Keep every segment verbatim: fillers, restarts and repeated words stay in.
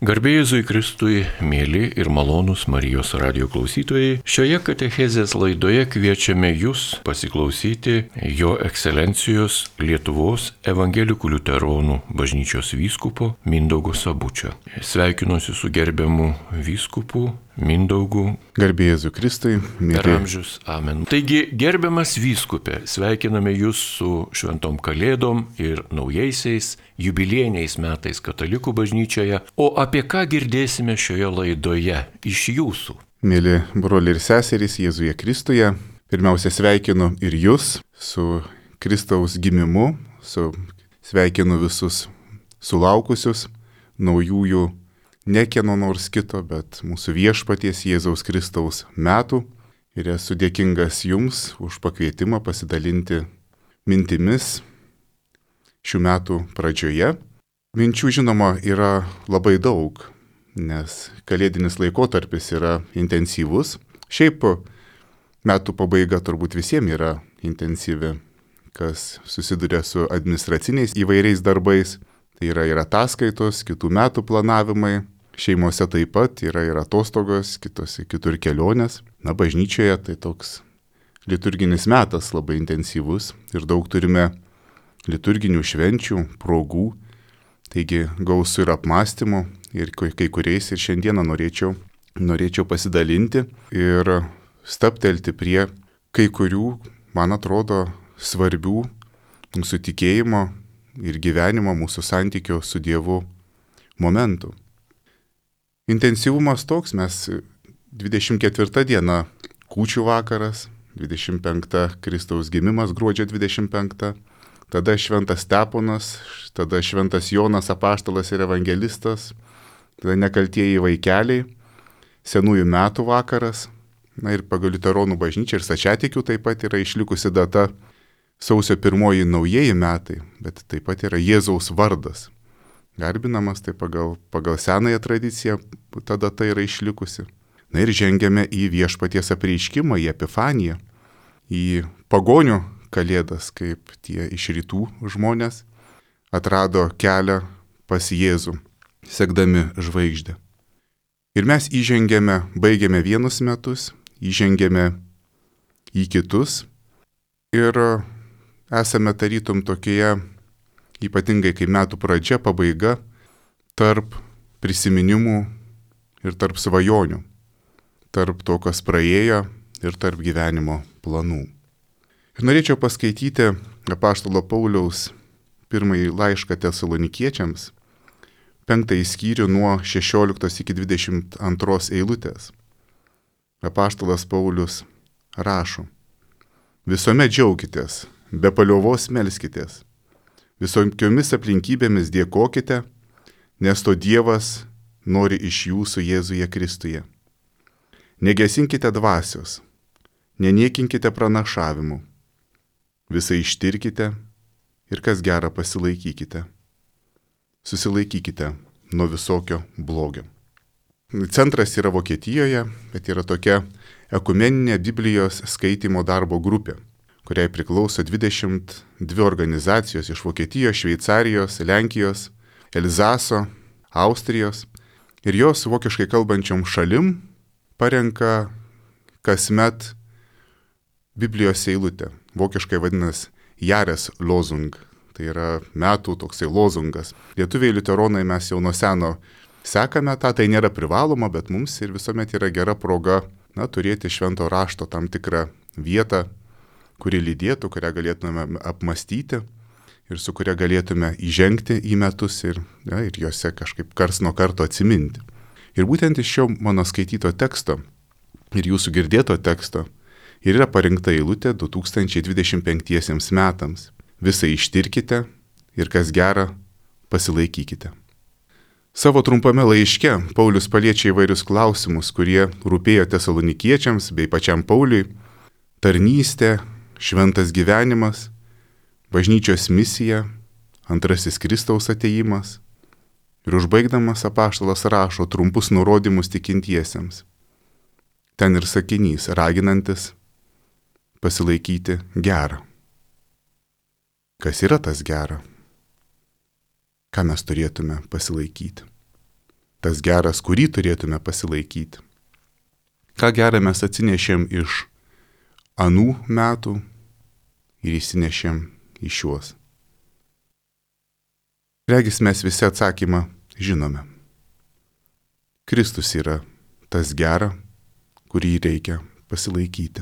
Garbė Jėzui Kristui, mėly ir malonūs Marijos radijo klausytojai, šioje katechezės laidoje kviečiame jūs pasiklausyti Jo Ekscelencijos Lietuvos evangelikų liuteronų bažnyčios vyskupo Mindaugo Sabučio. Sveikinuosi su gerbiamu vyskupu Mindaugu. Garbė Jėzui Kristui, mėly. Per amžius. Amen. Taigi, gerbiamas vyskupė, sveikiname jūs su šventom kalėdom ir naujaisiais jubiliejiniais metais katalikų bažnyčioje. O apie ką girdėsime šioje laidoje iš jūsų? Mėly broliai ir seserys Jėzuje Kristuje, pirmiausia sveikinu ir jūs su Kristaus gimimu, su sveikinu visus sulaukusius naujųjų ne kieno nors kito, bet mūsų viešpaties Jėzaus Kristaus metų. Ir esu dėkingas jums už pakvietimą pasidalinti mintimis šių metų pradžioje. Minčių, žinoma, yra labai daug, nes kalėdinis laikotarpis yra intensyvus. Šiaip metų pabaiga turbūt visiems yra intensyvi, kas susiduria su administraciniais įvairiais darbais. Tai yra ir ataskaitos, kitų metų planavimai. Šeimose taip pat yra ir atostogos, kitose kitur kelionės. Na, bažnyčioje tai toks liturginis metas labai intensyvus ir daug turime liturginių švenčių, progų. Taigi gausu ir apmąstymų ir kai kuriais ir šiandieną norėčiau, norėčiau pasidalinti ir staptelti prie kai kurių, man atrodo, svarbių mūsų tikėjimo ir gyvenimo, mūsų santykio su Dievu momentų. Intensyvumas toks, mes dvidešimt ketvirta diena kūčių vakaras, dvidešimt penkta Kristaus gimimas gruodžio dvidešimt penkta, tada šventas Steponas, tada šventas Jonas apaštalas ir evangelistas, tada nekaltieji vaikeliai, senųjų metų vakaras, na ir pagal liuteronų bažnyčią ir stačiatikių taip pat yra išlikusi data sausio pirmoji naujieji metai, bet taip pat yra Jėzaus vardas. Garbinamas, tai pagal, pagal senąją tradiciją ta data yra išlikusi. Na ir žengiame į viešpaties apreiškimą, į Epifaniją, į pagonių kalėdas, kaip tie iš rytų žmonės atrado kelią pas Jėzų, sekdami žvaigždę. Ir mes įžengėme, baigėme vienus metus, įžengėme į kitus ir esame tarytum tokioje, ypatingai kai metų pradžia, pabaiga, tarp prisiminimų ir tarp svajonių, tarp to, kas praėjo ir tarp gyvenimo planų. Ir norėčiau paskaityti apaštalo Pauliaus pirmąjį laišką Tesalonikiečiams, penktąjį skyrių nuo šešioliktos iki dvidešimt antros eilutės. Apaštalas Paulius rašo: visuomet džiaukitės, be paliovos melskitės. Visokiomis aplinkybėmis dėkokite, nes to Dievas nori iš jūsų Jėzuje Kristuje. Negesinkite dvasios, neniekinkite pranašavimų, visai ištirkite ir kas gera pasilaikykite. Susilaikykite nuo visokio blogio. Centras yra Vokietijoje, bet yra tokia ekumeninė Biblijos skaitymo darbo grupė, kuriai priklauso dvidešimt dvi organizacijos iš Vokietijos, Šveicarijos, Lenkijos, Elzaso, Austrijos. Ir jos vokiškai kalbančiom šalim parenka kasmet Biblijos eilutę. Vokiškai vadinasi Jahreslosung. Tai yra metų toksai lozungas. Lietuviai liuteronai mes jau nuo seno sekame tą, tai nėra privaloma, bet mums ir visuomet yra gera proga, na, turėti švento rašto tam tikrą vietą, kuri lydėtų, kurią galėtume apmastyti ir su kuria galėtume įžengti į metus ir, ja, ir juose kažkaip kars nuo karto atsiminti. Ir būtent iš šio mano skaityto teksto ir jūsų girdėto teksto ir yra parinkta eilutė du tūkstančiai dvidešimt penktiesiems metams. Visai ištirkite ir kas gera pasilaikykite. Savo trumpame laiške Paulius paliečia įvairius klausimus, kurie rūpėjo tesalonikiečiams bei pačiam Pauliui: tarnystė, šventas gyvenimas, bažnyčios misija, antrasis Kristaus atėjimas. Ir užbaigdamas apaštalas rašo trumpus nurodymus tikintiesiems. Ten ir sakinys, raginantis pasilaikyti gerą. Kas yra tas gera? Ką mes turėtume pasilaikyti? tas geras, kurį turėtume pasilaikyti. Ką gerą mes atsinešėm iš anų metų ir įsinešėm į šiuos. Regis mes visi atsakymą žinome. Kristus yra tas gera, kurį reikia pasilaikyti.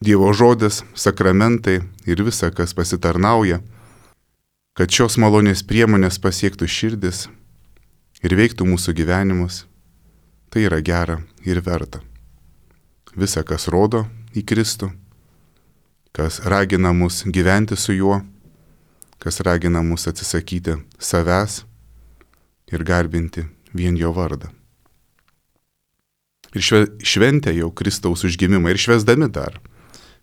Dievo žodis, sakramentai ir visa, kas pasitarnauja, kad šios malonės priemonės pasiektų širdis ir veiktų mūsų gyvenimus, tai yra gera ir verta. Visa, kas rodo į Kristų, kas ragina mus gyventi su juo, kas ragina mus atsisakyti savęs ir garbinti vien jo vardą. Ir šventę jau Kristaus užgimimą ir švęsdami dar,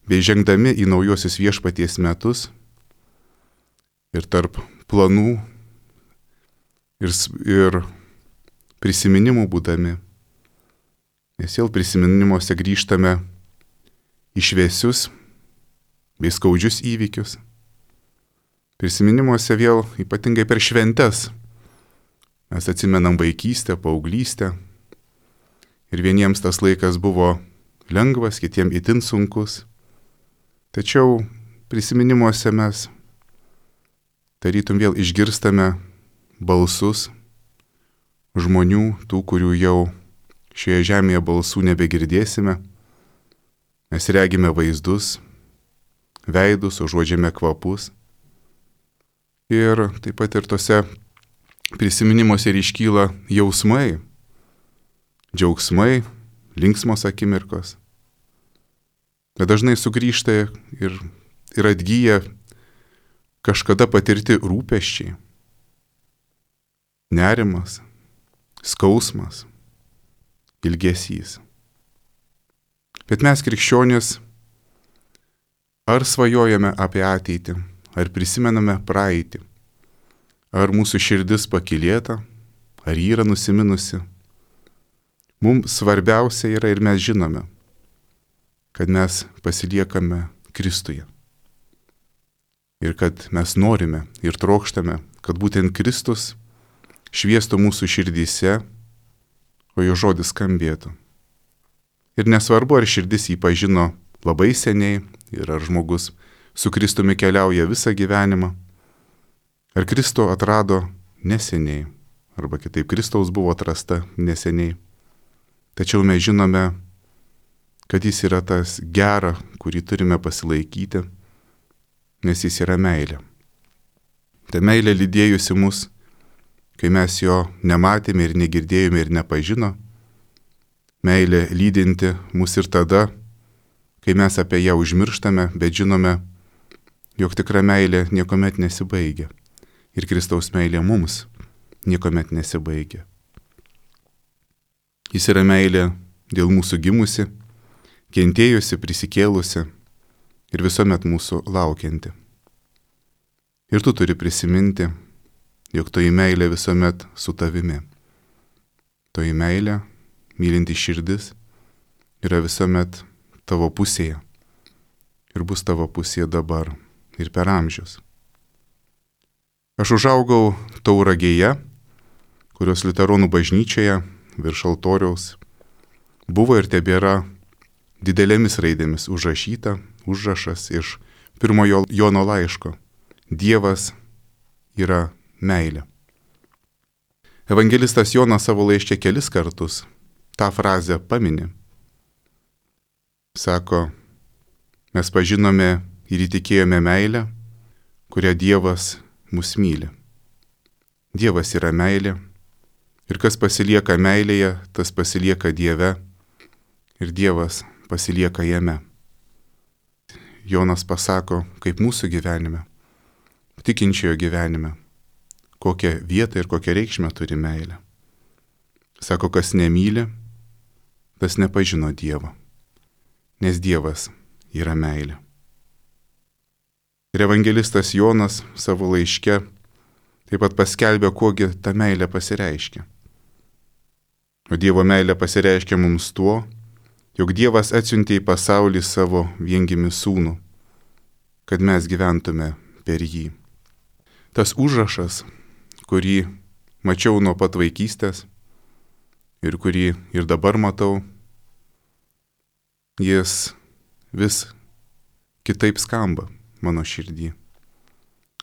bei žengdami į naujosius viešpaties metus ir tarp planų ir, ir prisiminimų būdami, nes vėl prisiminimuose grįžtame į šviesius bei skaudžius įvykius. Prisiminimuose vėl ypatingai per šventes mes atsimenam vaikystę, paauglystę ir vieniems tas laikas buvo lengvas, kitiems itin sunkus. Tačiau prisiminimuose mes tarytum vėl išgirstame balsus žmonių, tų, kurių jau šioje žemėje balsų nebegirdėsime. Mes regime vaizdus, veidus, užuodžiame kvapus. Ir taip pat ir tose prisiminimuose iškyla jausmai, džiaugsmai, linksmos akimirkos. Bet dažnai sugrįžta ir, ir atgyja kažkada patirti rūpesčiai, nerimas, skausmas, ilgesys. Bet mes krikščionys ar svajojame apie ateitį, ar prisimename praeitį, ar mūsų širdis pakylėta, ar yra nusiminusi. Mums svarbiausia yra ir mes žinome, kad mes pasiliekame Kristuje. Ir kad mes norime ir trokštame, kad būtent Kristus šviestų mūsų širdyse, o jo žodis skambėtų. Ir nesvarbu, ar širdis jį pažino labai seniai ir ar žmogus su Kristumi keliauja visą gyvenimą, ar Kristų atrado neseniai, arba kitaip Kristaus buvo atrasta neseniai. Tačiau mes žinome, kad jis yra tas gera, kurį turime pasilaikyti, nes jis yra meilė. Ta meilė lydėjusi mus, kai mes jo nematėme ir negirdėjome ir nepažino. Meilė lydinti mus ir tada, kai mes apie ją užmirštame, bet žinome, jog tikra meilė niekuomet nesibaigia. Ir Kristaus meilė mums niekuomet nesibaigia. Jis yra meilė dėl mūsų gimusi, kentėjusi, prisikėlusi ir visuomet mūsų laukianti. Ir tu turi prisiminti, jog toji meilė visuomet su tavimi. Toji meilė, mylinti širdis, yra visuomet tavo pusėje ir bus tavo pusėje dabar ir per amžius. Aš užaugau Tauragėje, kurios liuteronų bažnyčioje virš altoriaus buvo ir tebėra didelėmis raidėmis užrašyta užrašas iš pirmojo Jono laiško. Dievas yra meilė. Evangelistas Jonas savo laiške kelis kartus tą frazę pamini. Sako, mes pažinome ir įtikėjome meilę, kurią Dievas mus myli. Dievas yra meilė ir kas pasilieka meilėje, tas pasilieka Dieve ir Dievas pasilieka jame. Jonas pasako, kaip mūsų gyvenime, tikinčiojo gyvenime, kokią vietą ir kokią reikšmę turi meilė. Sako, kas nemyli, tas nepažino Dievo, nes Dievas yra meilė. Ir evangelistas Jonas savo laiške taip pat paskelbė, kogi ta meilė pasireiškia. O Dievo meilė pasireiškia mums tuo, jog Dievas atsiuntė į pasaulį savo viengimį sūnų, kad mes gyventume per jį. Tas užrašas, kurį mačiau nuo pat vaikystės ir kurį ir dabar matau, jis vis kitaip skamba mano širdį.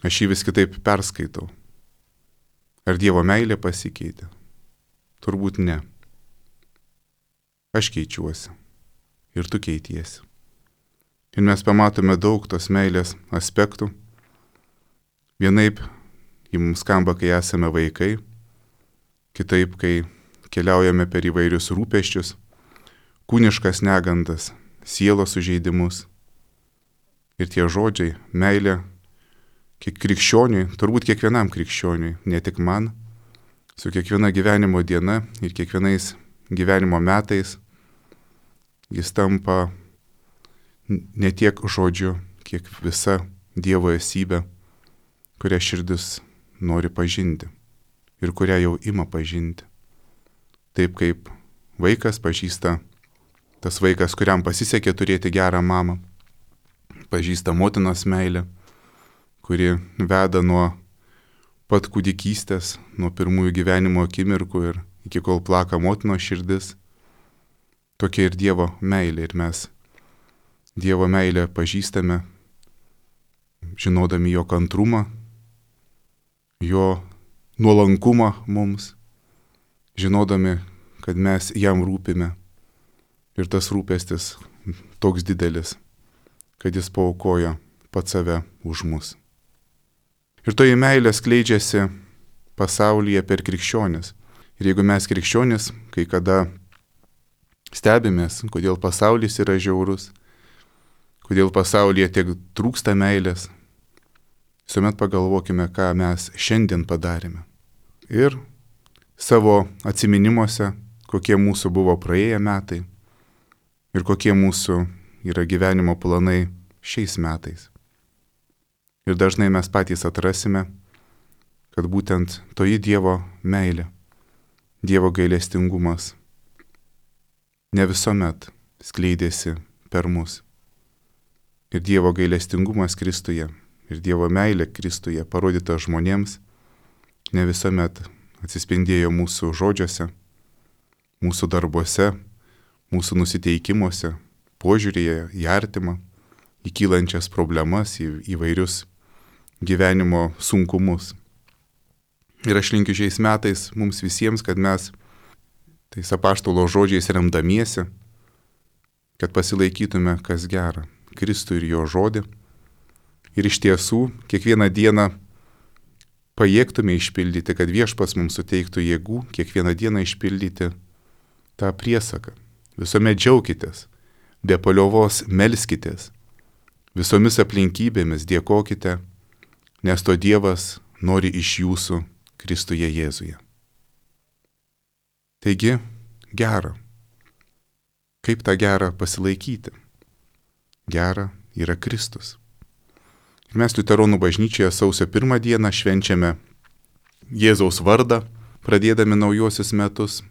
Aš jį vis kitaip perskaitau. Ar Dievo meilė pasikeitė? Turbūt ne. Aš keičiuosi. Ir tu keitiesi. Ir mes pamatome daug tos meilės aspektų. Vienaip ji mums skamba, kai esame vaikai. Kitaip, kai keliaujame per įvairius rūpesčius, kūniškas negandas, sielos sužeidimus. Ir tie žodžiai, meilė, kiek krikščioniui, turbūt kiekvienam krikščioniui, ne tik man, su kiekviena gyvenimo diena ir kiekvienais gyvenimo metais, jis tampa ne tiek žodžiu, kiek visa Dievo esybė, kurią širdis nori pažinti ir kurią jau ima pažinti. Taip kaip vaikas pažįsta, tas vaikas, kuriam pasisekė turėti gerą mamą, pažįsta motinos meilę, kuri veda nuo pat kūdikystės, nuo pirmųjų gyvenimo akimirkų ir iki kol plaka motinos širdis. Tokia ir Dievo meilė. Ir mes Dievo meilę pažįstame, žinodami jo kantrumą, jo nuolankumą mums, žinodami, kad mes jam rūpime. Ir tas rūpestis toks didelis, kad jis paaukojo pats save už mus. Ir toji meilė skleidžiasi pasaulyje per krikščionis. Ir jeigu mes krikščionis, kai kada stebimės, kodėl pasaulis yra žiaurus, kodėl pasaulyje tiek trūksta meilės, visuomet pagalvokime, ką mes šiandien padarėme. Ir savo atsiminimuose, kokie mūsų buvo praėję metai ir kokie mūsų yra gyvenimo planai šiais metais. Ir dažnai mes patys atrasime, kad būtent toji Dievo meilė, Dievo gailestingumas ne visuomet skleidėsi per mus. Ir Dievo gailestingumas Kristuje ir Dievo meilė Kristuje parodyta žmonėms ne visuomet atsispindėjo mūsų žodžiuose, mūsų darbuose, mūsų nusiteikimuose, požiūrėje į artimą, į kylančias problemas, į įvairius gyvenimo sunkumus. Ir aš linkiu šiais metais mums visiems, kad mes tais apaštalo žodžiais remdamiesi, kad pasilaikytume kas gera, Kristų ir jo žodį. Ir iš tiesų kiekvieną dieną pajėgtume išpildyti, kad Viešpats mums suteiktų jėgų kiekvieną dieną išpildyti tą priesaką. Visuomet džiaukitės, be paliovos melskitės, visomis aplinkybėmis dėkokite, nes to Dievas nori iš jūsų Kristuje Jėzuje. Taigi, gera. Kaip tą gerą pasilaikyti? Gera yra Kristus. Ir mes Liuteronų bažnyčioje sausio pirmą dieną švenčiame Jėzaus vardą, pradėdami naujuosius metus.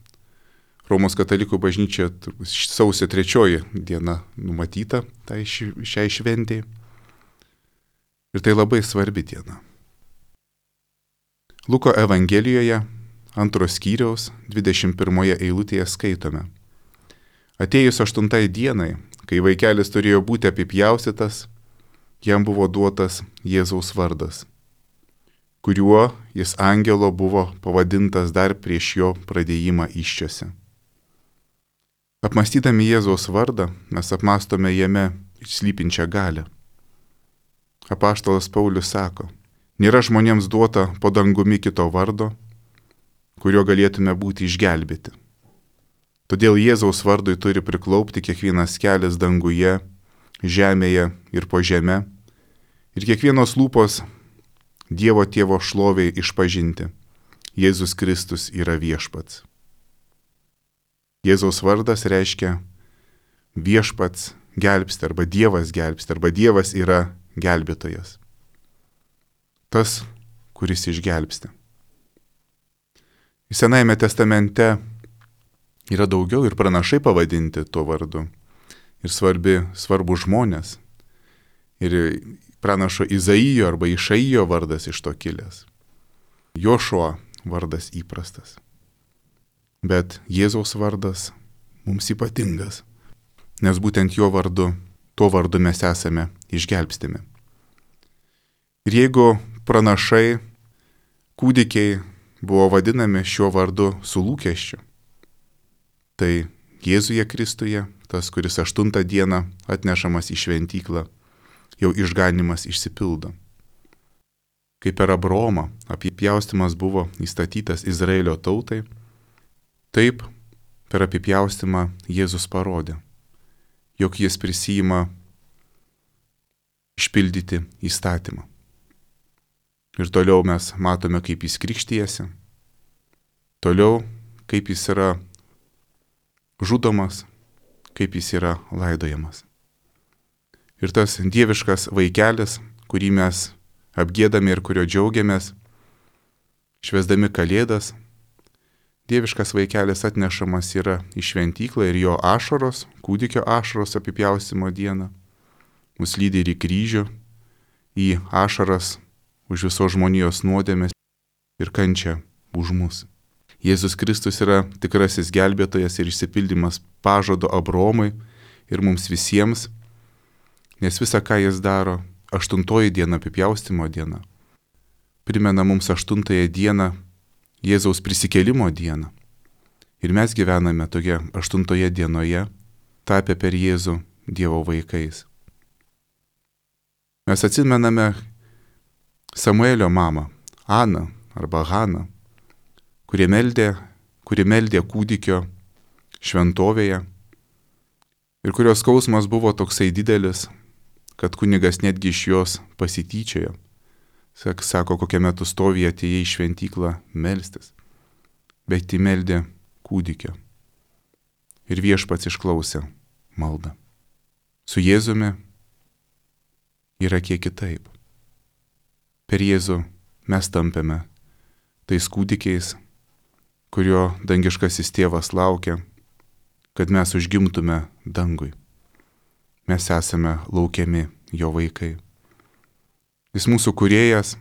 Romos katalikų bažnyčia sausio trečioji diena numatyta tai šiai šventei. Ir tai labai svarbi diena. Luko Evangelijoje antros skyriaus dvidešimt pirmoje eilutėje skaitome. Atėjus aštuntai dienai, kai vaikelis turėjo būti apipjaustytas, jam buvo duotas Jėzaus vardas, kuriuo jis angelo buvo pavadintas dar prieš jo pradėjimą įsčiose. Apmąstydami Jėzaus vardą, mes apmastome jame slypinčią galią. Apaštalas Paulius sako, nėra žmonėms duota po dangumi kito vardo, kuriuo galėtume būti išgelbėti. Todėl Jėzaus vardui turi priklaupti kiekvienas kelias danguje, žemėje ir po žeme, ir kiekvienos lūpos Dievo Tėvo šloviai išpažinti. Jėzus Kristus yra viešpats. Jėzaus vardas reiškia viešpats gelbsti, arba Dievas gelbsti, arba Dievas yra gelbėtojas. Tas, kuris išgelbsti. Senajame testamente yra daugiau ir pranašai pavadinti tuo vardu. Ir svarbi, svarbu žmonės. Ir pranašo Izaijo arba Išaijo vardas iš to kilęs. Jošua vardas įprastas. Bet Jėzaus vardas mums ypatingas, nes būtent jo vardu, tuo vardu mes esame išgelbstimi. Ir jeigu pranašai, kūdikiai buvo vadinami šiuo vardu su lūkesčiu, tai Jėzuje Kristuje, tas, kuris aštuntą dieną atnešamas į šventyklą, jau išganimas išsipildo. Kaip per Abraomą apipjaustymas buvo įstatytas Izraelio tautai, taip per apipjaustymą Jėzus parodė, jog jis prisijima išpildyti įstatymą. Ir toliau mes matome, kaip jis krikštijasi, toliau kaip jis yra žudomas, kaip jis yra laidojamas. Ir tas dieviškas vaikelis, kurį mes apgiedame ir kurio džiaugiamės, švęsdami Kalėdas, dieviškas vaikelis atnešamas yra į šventyklą ir jo ašaros, kūdikio ašaros apipjaustimo dieną, mus lydi ir į kryžių, į ašaras už visos žmonijos nuodėmės ir kančią už mus. Jėzus Kristus yra tikrasis gelbėtojas ir išsipildymas pažado Abraomui ir mums visiems, nes visa, ką jis daro, aštuntoji diena, apipjaustimo diena, primena mums aštuntąją dieną, Jėzaus prisikėlimo dieną. Ir mes gyvename toje aštuntoje dienoje, tapę per Jėzų Dievo vaikais. Mes atsimename Samuelio mamą, Aną arba Haną, kuri meldė, kuri meldė kūdikio šventovėje ir kurios skausmas buvo toksai didelis, kad kunigas netgi iš jos pasityčiojo. Sako, kokią metu stovį atėjai į šventyklą melstis, bet ji meldė kūdikio. Ir viešpats išklausė maldą. Su Jėzumi yra kiek kitaip. Per Jėzų mes tampame tais kūdikiais, kurio dangiškasis tėvas laukia, kad mes užgimtume dangui. Mes esame laukiami jo vaikai. Jis mūsų kūrėjas,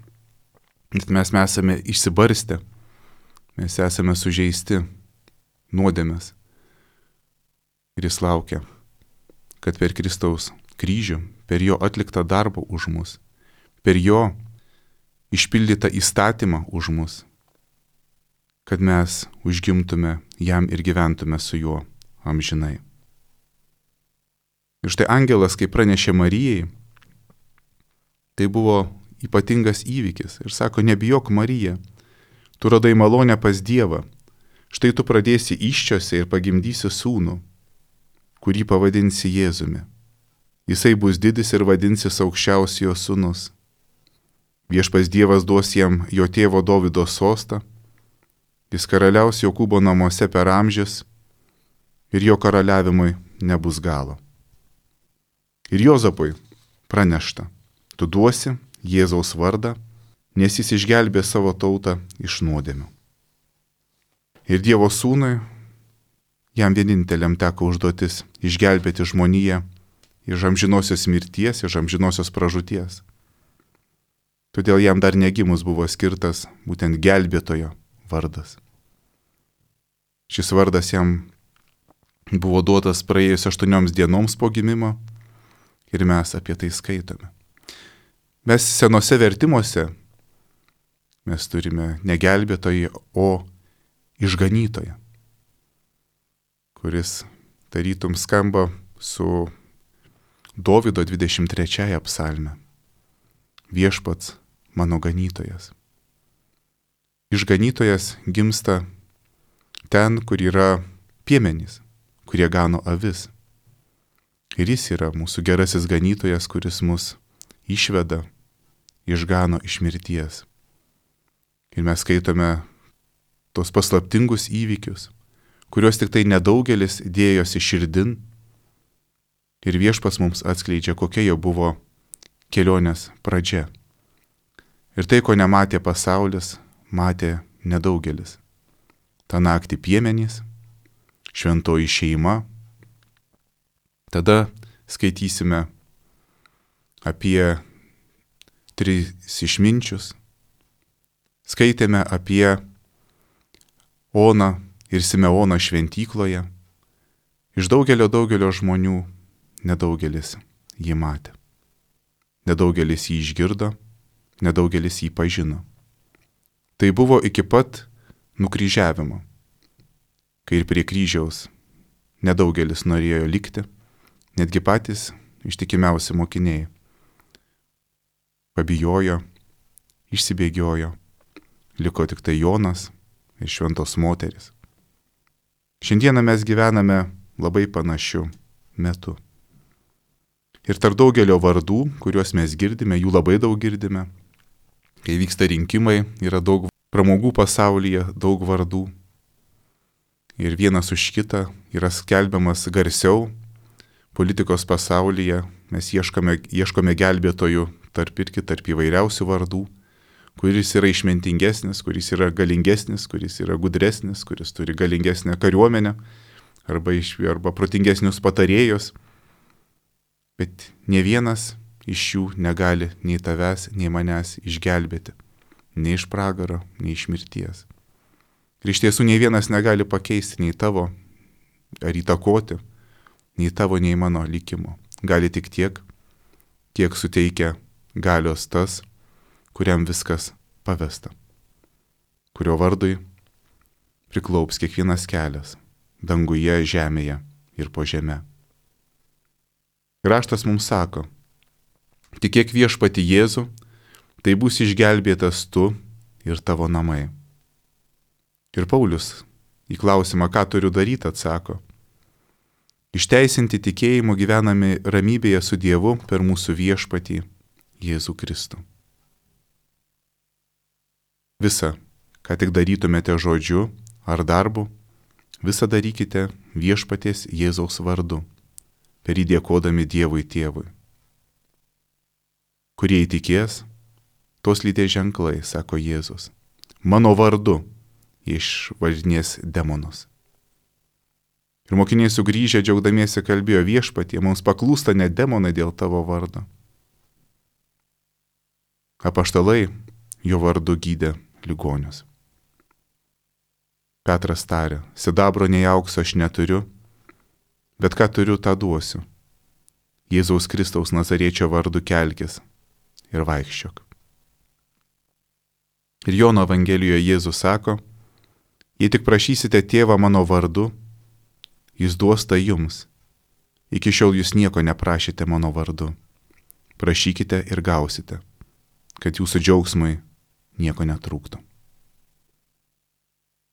bet mes esame išsibarstę, mes esame sužeisti nuodėmės. Ir jis laukia, kad per Kristaus kryžių, per jo atliktą darbą už mus, per jo išpildytą įstatymą už mus, kad mes užgimtume jam ir gyventume su juo amžinai. Ir štai angelas, kai pranešė Marijai, tai buvo ypatingas įvykis. Ir sako, nebijok Marija, tu radai malonę pas Dievą, štai tu pradėsi įsčiose ir pagimdysi sūnų, kurį pavadinsi Jėzumi. Jisai bus didis ir vadinsis aukščiausiojo sūnus. Viešpats Dievas duos jam jo tėvo Dovydo sostą, jis karaliaus Jokūbo namuose per amžius ir jo karaliavimui nebus galo. Ir Jozapui pranešta, tu duosi Jėzaus vardą, nes jis išgelbė savo tautą iš nuodėmių. Ir Dievo sūnui, jam vieninteliam teko užduotis išgelbėti žmoniją iš amžinosios mirties, iš amžinosios pražūties. Todėl jam dar negimus buvo skirtas būtent gelbėtojo vardas. Šis vardas jam buvo duotas praėjus aštuonioms dienoms po gimimo ir mes apie tai skaitome. Mes senose vertimuose mes turime ne gelbėtoją, o išganytoją, kuris tarytum skamba su Dovydo dvidešimt trečiąja psalme. Viešpats mano ganytojas. Išganytojas gimsta ten, kur yra piemenys, kurie gano avis. Ir jis yra mūsų gerasis ganytojas, kuris mus išveda, išgano iš mirties. Ir mes skaitome tos paslaptingus įvykius, kuriuos tik tai nedaugelis dėjosi širdin. Ir viešpas mums atskleidžia, kokia jo buvo kelionės pradžia. Ir tai, ko nematė pasaulis, matė nedaugelis. Ta naktį piemenys, šventoji šeima. Tada skaitysime apie tris išminčius. Skaitėme apie Oną ir Simeoną šventykloje, iš daugelio daugelio žmonių nedaugelis jį matė. Nedaugelis jį išgirdo, nedaugelis jį pažino. Tai buvo iki pat nukryžiavimo, kai ir prie kryžiaus nedaugelis norėjo likti, netgi patys ištikimiausi mokiniai. Pabijojo, išsibėgiojo, liko tik tai Jonas ir šventos moteris. Šiandieną mes gyvename labai panašiu metu. Ir tarp daugelio vardų, kuriuos mes girdime, jų labai daug girdime, kai vyksta rinkimai, yra daug pramogų pasaulyje, daug vardų. Ir vienas už kitą yra skelbiamas garsiau politikos pasaulyje, mes ieškome, ieškome gelbėtojų tarp irgi tarp įvairiausių vardų, kuris yra išmintingesnis, kuris yra galingesnis, kuris yra gudresnis, kuris turi galingesnę kariuomenę arba, iš, arba protingesnius patarėjus. Bet ne vienas iš jų negali nei tavęs, nei manęs išgelbėti, nei iš pragaro, nei iš mirties. Ir iš tiesų nei vienas negali pakeisti nei tavo ar įtakoti, nei tavo, nei mano likimo. Gali tik tiek, kiek suteikia galios tas, kuriam viskas pavesta, kurio vardui priklaups kiekvienas kelias, danguje, žemėje ir po žeme. Raštas mums sako, tikėk viešpatį Jėzų, tai bus išgelbėtas tu ir tavo namai. Ir Paulius į klausimą, ką turiu daryti, atsako, išteisinti tikėjimu gyvenami ramybėje su Dievu per mūsų viešpatį Jėzų Kristų. Visa, ką tik darytumėte žodžiu ar darbu, visą darykite viešpaties Jėzaus vardu, per jį dėkodami Dievui Tėvui. Kurie įtikės, tos lydės ženklai, sako Jėzus, mano vardu išvažinės demonus. Ir mokiniai sugrįžę džiaugdamiesi kalbėjo, viešpatie, mums paklūsta net demonai dėl tavo vardo. Apaštalai jo vardu gydė ligonius. Petras tarė, sidabro nei aukso aš neturiu, bet ką turiu, tą duosiu. Jėzaus Kristaus Nazariečio vardu kelkis ir vaikščiok. Ir Jono Evangelijoje Jėzus sako, jei tik prašysite tėvą mano vardu, jis duos tai jums. Iki šiol jūs nieko neprašėte mano vardu. Prašykite ir gausite, kad jūsų džiaugsmui nieko netrūktų.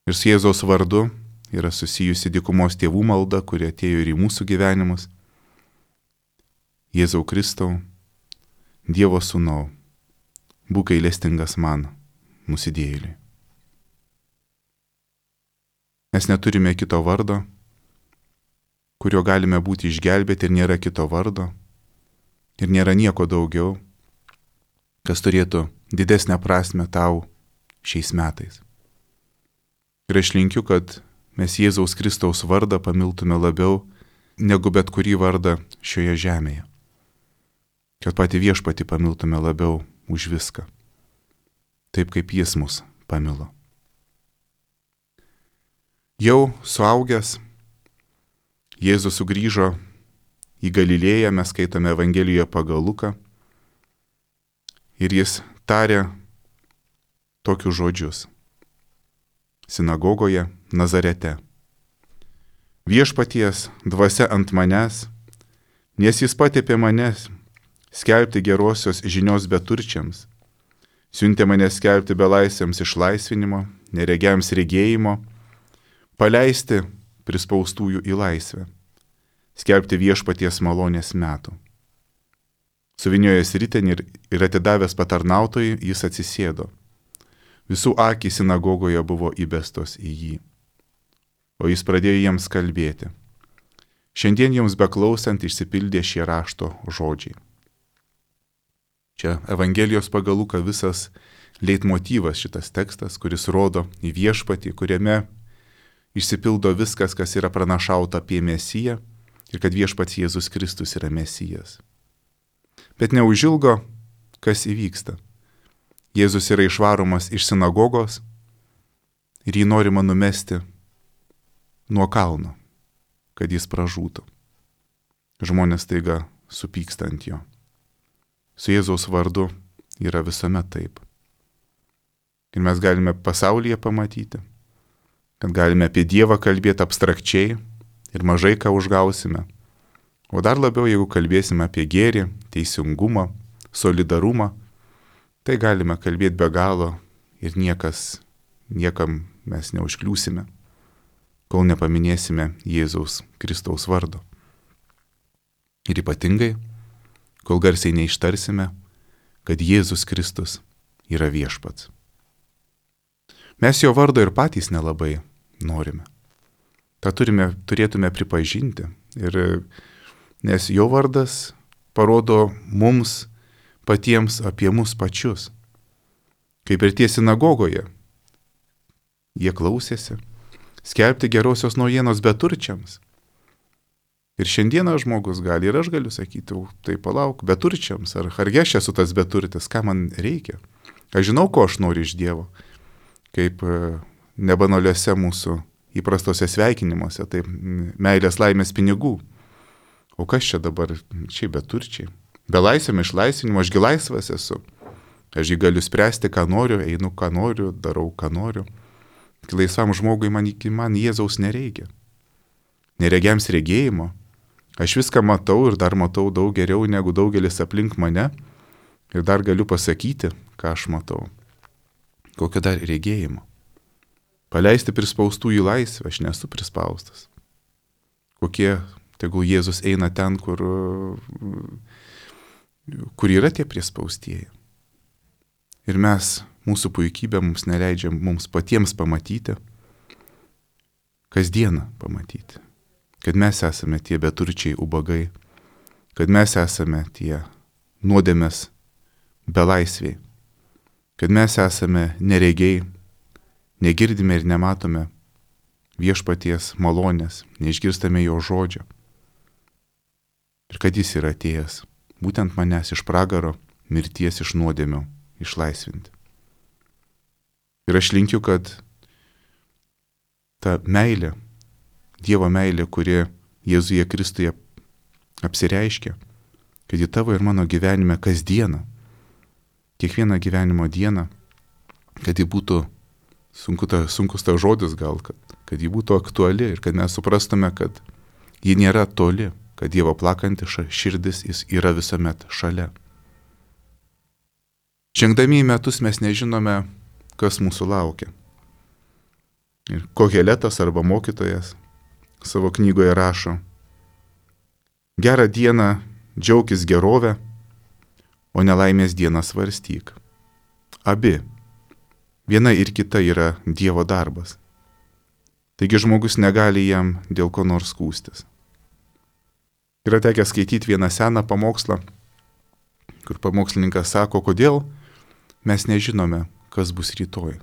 Ir su Jėzaus vardu yra susijusi dykumos tėvų malda, kuri atėjo ir į mūsų gyvenimus. Jėzau Kristau, Dievo sūnau, būk gailestingas man, nusidėjėliui. Mes neturime kito vardo, kurio galime būti išgelbėti, ir nėra kito vardo, ir nėra nieko daugiau, kas turėtų didesnę prasme tau šiais metais. Ir aš linkiu, kad mes Jėzaus Kristaus vardą pamiltume labiau negu bet kurį vardą šioje žemėje. Kad patį viešpatį pamiltume labiau už viską, taip kaip jis mus pamilo. Jau suaugęs, Jėzus sugrįžo į Galilėją, mes skaitome Evangelijoje pagal Luką, ir jis tarė tokius žodžius sinagogoje Nazarete. Viešpaties dvasia ant manęs, nes jis patepė mane skelbti gerosios žinios beturčiams, siuntė mane skelbti belaisviams išlaisvinimo, neregiams regėjimo, paleisti prispaustųjų į laisvę, skelbti viešpaties malonės metų. Suviniojęs ritenį ir, ir atidavęs patarnautojui, jis atsisėdo. Visų akys sinagogoje buvo įbestos į jį. O jis pradėjo jiems kalbėti. Šiandien jums beklausant išsipildė šie rašto žodžiai. Čia Evangelijos pagal Luką visas leitmotyvas šitas tekstas, kuris rodo į viešpatį, kuriame išsipildo viskas, kas yra pranašauta apie Mesiją ir kad viešpats Jėzus Kristus yra Mesijas. Bet neužilgo, kas įvyksta. Jėzus yra išvaromas iš sinagogos ir jį norima numesti nuo kalno, kad jis pražūtų. Žmonės taiga supyksta ant jo. Su Jėzaus vardu yra visuomet taip. Ir mes galime pasaulyje pamatyti, kad galime apie Dievą kalbėti abstrakčiai ir mažai ką užgausime. O dar labiau, jeigu kalbėsime apie gėrį, teisingumą, solidarumą, tai galime kalbėti be galo ir niekas, niekam mes neužkliūsime, kol nepaminėsime Jėzaus Kristaus vardo. Ir ypatingai, kol garsiai neištarsime, kad Jėzus Kristus yra viešpats. Mes jo vardo ir patys nelabai norime. Ta turime, turėtume pripažinti, ir, nes jo vardas parodo mums patiems apie mus pačius. Kaip ir tie sinagogoje, jie klausėsi skelbti gerosios naujienos beturčiams. Ir šiandieną žmogus gali, ir aš galiu sakyti, tai palauk, beturčiams, ar argi aš esu tas beturtis, ką man reikia. Aš žinau, ko aš noriu iš Dievo, kaip nebanaliuose mūsų įprastose sveikinimuose, taip meilės laimės pinigų. O kas čia dabar, čia beturčiai? Be laisvėm išlaisvinimo, ašgi laisvas esu. Aš jį galiu spręsti, ką noriu, einu, ką noriu, darau, ką noriu. Laisvam žmogui man, man Jėzaus nereikia. Neregiams regėjimo. Aš viską matau ir dar matau daug geriau negu daugelis aplink mane. Ir dar galiu pasakyti, ką aš matau. Kokio dar regėjimo. Paleisti prispaustų į laisvę, aš nesu prispaustas. Kokie, tegul Jėzus eina ten, kur, kur yra tie prispaustieji. Ir mes, mūsų puikybė mums neleidžia mums patiems pamatyti, kasdieną pamatyti, kad mes esame tie beturčiai ubagai, kad mes esame tie nuodėmės belaisviai, kad mes esame neregiai, negirdime ir nematome viešpaties malonės, neišgirstame jo žodžio. Ir kad jis yra atėjęs, būtent manęs iš pragaro, mirties iš nuodėmių išlaisvinti. Ir aš linkiu, kad ta meilė, Dievo meilė, kuri Jėzuje Kristuje apsireiškia, kad į tavo ir mano gyvenime kasdieną, kiekvieną gyvenimo dieną, kad ji būtų, sunku ta, sunkus ta žodis gal, kad, kad ji būtų aktuali ir kad mes suprastume, kad ji nėra toli, kad Dievo plakanti širdis jis yra visuomet šalia. Žengdami į metus mes nežinome, kas mūsų laukia. Ir Koheletas arba mokytojas savo knygoje rašo: gerą dieną džiaukis gerovę, o nelaimės dieną svarstyk. Abi, viena ir kita yra Dievo darbas. Taigi žmogus negali jam dėl ko nors skųstis. Yra tekę skaityti vieną seną pamokslą, kur pamokslininkas sako, kodėl mes nežinome, kas bus rytoj.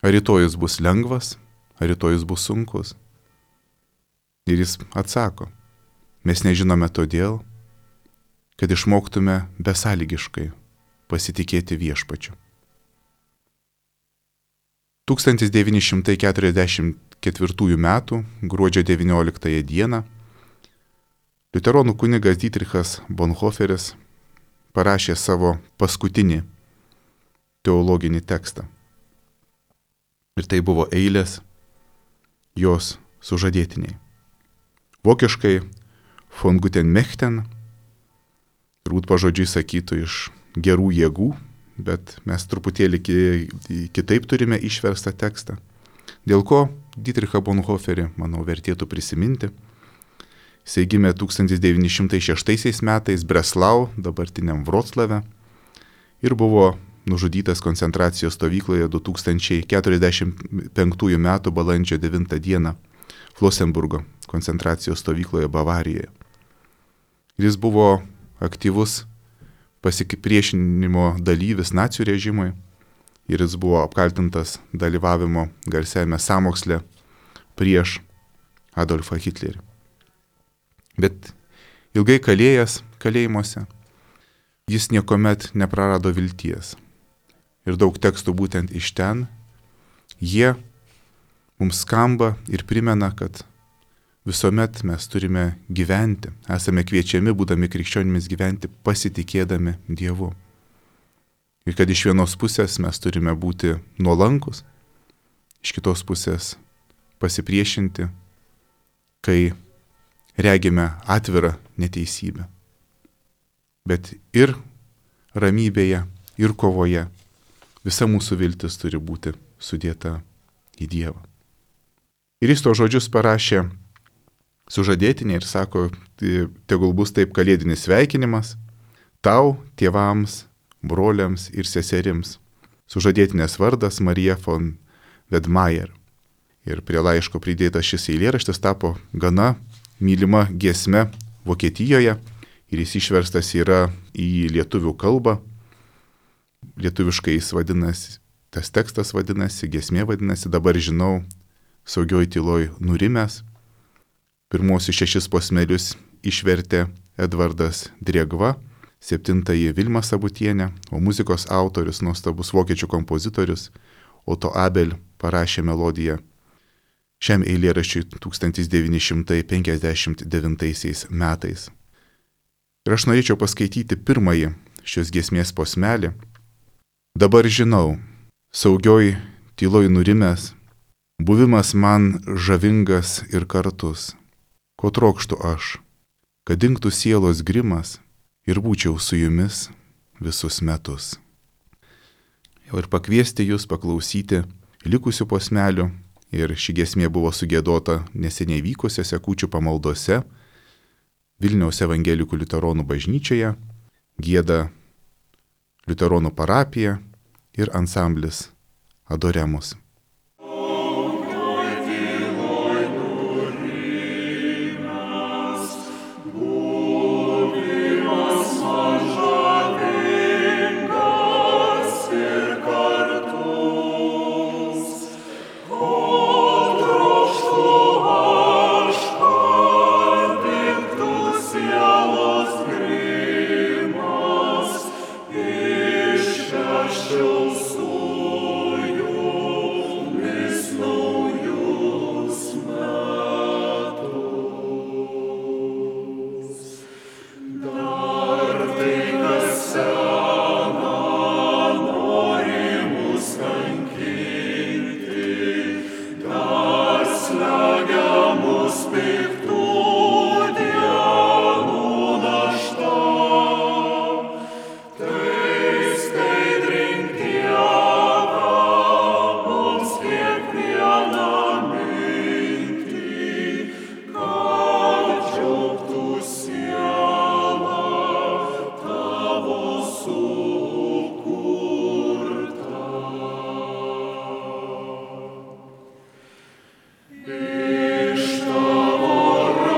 Ar rytojus bus lengvas, ar rytojus bus sunkus. Ir jis atsako, mes nežinome todėl, kad išmoktume besąlygiškai pasitikėti viešpačiu. tūkstantis devyni šimtai keturiasdešimt ketvirtųjų metų gruodžio devynioliktąją dieną liuteronų kunigas Dietrichas Bonhoefferis parašė savo paskutinį teologinį tekstą. Ir tai buvo eilės jos sužadėtiniai. Vokiškai von guten Mächten, turbūt pažodžiui sakytų iš gerų jėgų, bet mes truputėlį kitaip turime išverstą tekstą. Dėl ko Dietrichą Bonhoefferį, manau, vertėtų prisiminti. Jis gimė tūkstantis devyni šimtai šeštaisiais metais Breslau, dabartiniam Vroclave, ir buvo nužudytas koncentracijos stovykloje du tūkstančiai keturiasdešimt penktųjų metų balandžio devintą dieną Flosenburgo koncentracijos stovykloje Bavarijoje. Jis buvo aktyvus pasipriešinimo dalyvis nacių režimui ir jis buvo apkaltintas dalyvavimo garsiajame sąmoksle prieš Adolfą Hitlerį. Bet ilgai kalėjęs kalėjimuose, jis niekuomet neprarado vilties. Ir daug tekstų būtent iš ten Jie mums skamba ir primena, kad visuomet mes turime gyventi, esame kviečiami, būdami krikščionimis, gyventi pasitikėdami Dievu. Ir kad iš vienos pusės mes turime būti nuolankus, iš kitos pusės pasipriešinti, kai regime atvirą neteisybę. Bet ir ramybėje, ir kovoje visa mūsų viltis turi būti sudėta į Dievą. Ir jis to žodžius parašė sužadėtinė ir sako, tegul bus taip kalėdinis sveikinimas tau, tėvams, broliams ir seserims. Sužadėtinės vardas Marija von Vedmajer. Ir prie laiško pridėtas šis eilėraštis tapo gana mylima giesme Vokietijoje ir jis išverstas yra į lietuvių kalbą. Lietuviškai jis vadinasi, tas tekstas vadinasi, giesmė vadinasi, dabar žinau, saugioj tyloj nurimęs. Pirmosius šešis posmelius išvertė Edvardas Driegva, septintąjį Vilma Sabutienė, o muzikos autorius, nuostabus vokiečių kompozitorius Otto Abel parašė melodiją šiam eilėraščiui tūkstantis devyni šimtai penkiasdešimt devintaisiais metais. Ir aš norėčiau paskaityti pirmąjį šios giesmės posmelį. Dabar žinau, saugioj tyloj nurimęs, buvimas man žavingas ir kartus. Ko trokštu aš, kad dingtų sielos grimas ir būčiau su jumis visus metus. Jau ir pakviesti jūs paklausyti likusių posmelių, ir ši giesmė buvo sugėdota neseniai vykusiose kūčių pamaldose Vilniaus evangelikų liuteronų bažnyčioje, gieda liuteronų parapija ir ansamblis Adoremus. Iš tavo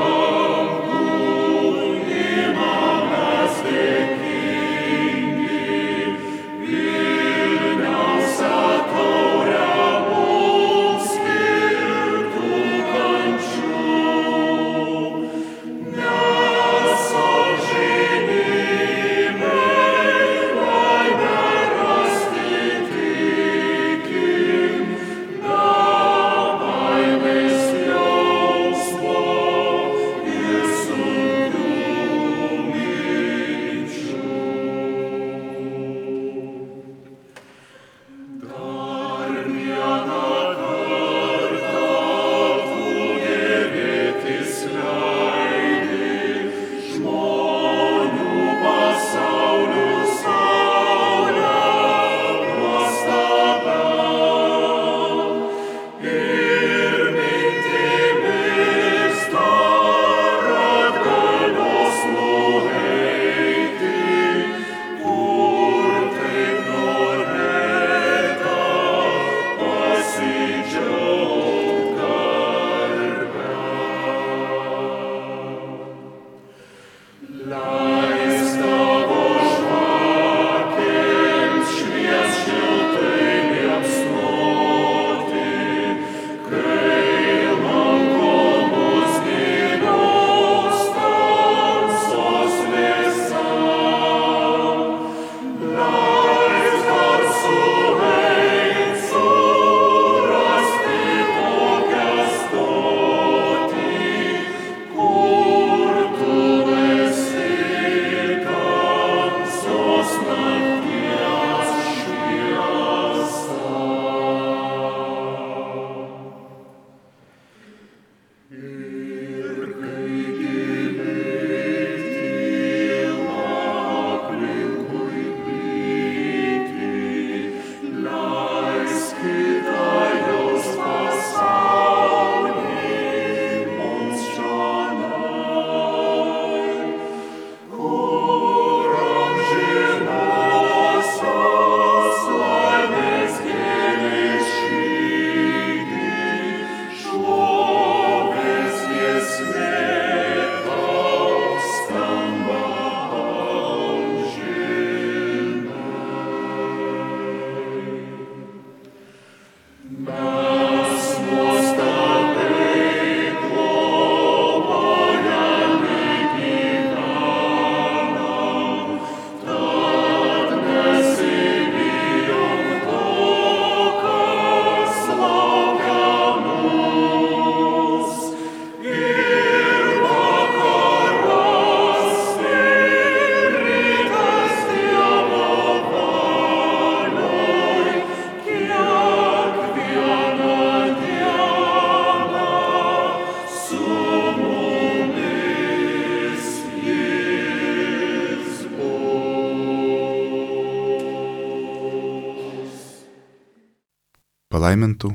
Palaimintų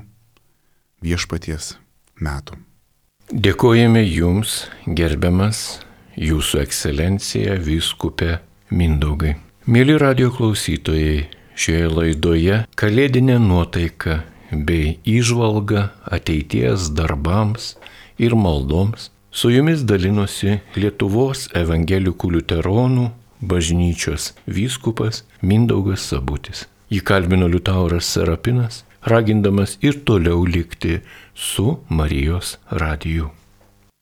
viešpaties metų. Dėkojame Jums, gerbiamas Jūsų ekscelencija vyskupė Mindaugai. Mėly radijo klausytojai, šioje laidoje kalėdinė nuotaika bei įžvalga ateities darbams ir maldoms su Jumis dalinosi Lietuvos evangelikų liuteronų bažnyčios vyskupas Mindaugas Sabutis. Jį kalbino Liutauras Serapinas, ragindamas ir toliau likti su Marijos radiju.